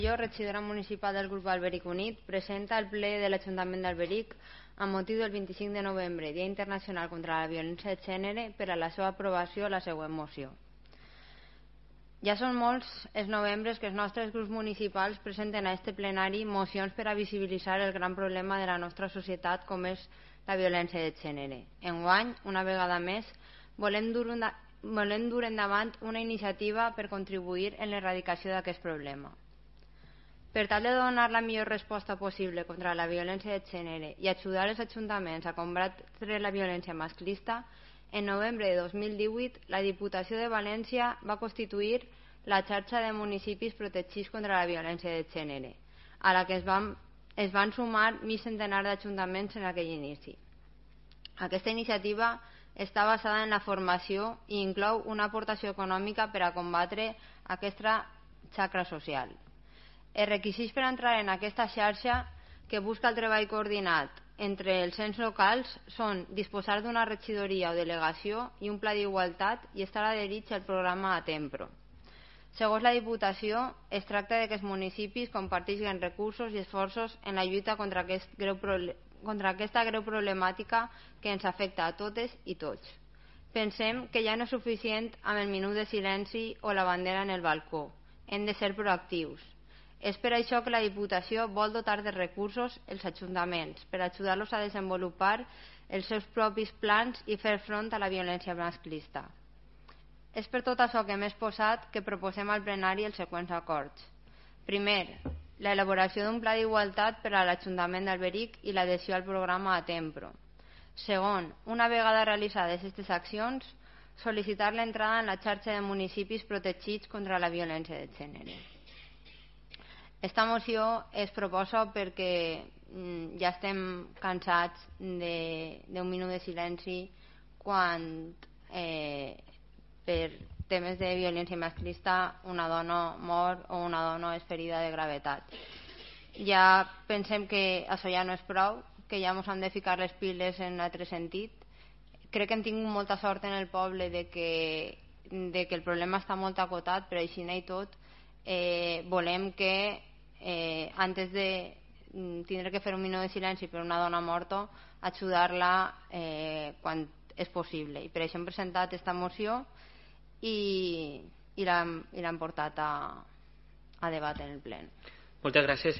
Jo, regidora municipal del grup Alberic Unit, presenta el ple de l'Ajuntament d'Alberic amb motiu del 25 de novembre, Dia Internacional contra la Violència de Gènere, per a la seva aprovació la següent moció. Ja són molts els novembres que els nostres grups municipals presenten a este plenari mocions per a visibilitzar el gran problema de la nostra societat com és la violència de gènere. Enguany, una vegada més, volem dur endavant una iniciativa per contribuir en l'erradicació d'aquest problema. Per tal de donar la millor resposta possible contra la violència de gènere i ajudar els ajuntaments a combatre la violència masclista, en novembre de 2018 la Diputació de València va constituir la xarxa de municipis protegits contra la violència de gènere, a la que es van sumar mig centenar d'ajuntaments en aquell inici. Aquesta iniciativa està basada en la formació i inclou una aportació econòmica per a combatre aquesta xacra social. Els requisits per entrar en aquesta xarxa, que busca el treball coordinat entre els ens locals, són disposar d'una regidoria o delegació i un pla d'igualtat i estar adherits al programa Atempro. Segons la Diputació, es tracta que els municipis comparteixin recursos i esforços en la lluita contra aquesta greu problemàtica que ens afecta a totes i tots. Pensem que ja no és suficient amb el minut de silenci o la bandera en el balcó. Hem de ser proactius. És per això que la Diputació vol dotar de recursos els ajuntaments per ajudar-los a desenvolupar els seus propis plans i fer front a la violència masclista. És per tot això que hem exposat que proposem al plenari els següents acords. Primer, l'elaboració d'un pla d'igualtat per a l'Ajuntament d'Alberic i l'adhesió al programa Atempro. Segon, una vegada realitzades aquestes accions, sol·licitar l'entrada en la xarxa de municipis protegits contra la violència de gènere. Esta moció es proposa perquè ja estem cansats d'un minut de silenci quan per temes de violència masclista una dona mor o una dona és ferida de gravetat. Ja pensem que això ja no és prou, que ja ens hem de ficar les piles en un altre sentit. Crec que hem tingut molta sort en el poble de que el problema està molt acotat, però així i tot volem que antes de tindre que fer un minut de silenci per una dona morta, ajudar-la quan és possible. I per això hem presentat aquesta moció i l'hem portat a debat en el ple. Moltes gràcies.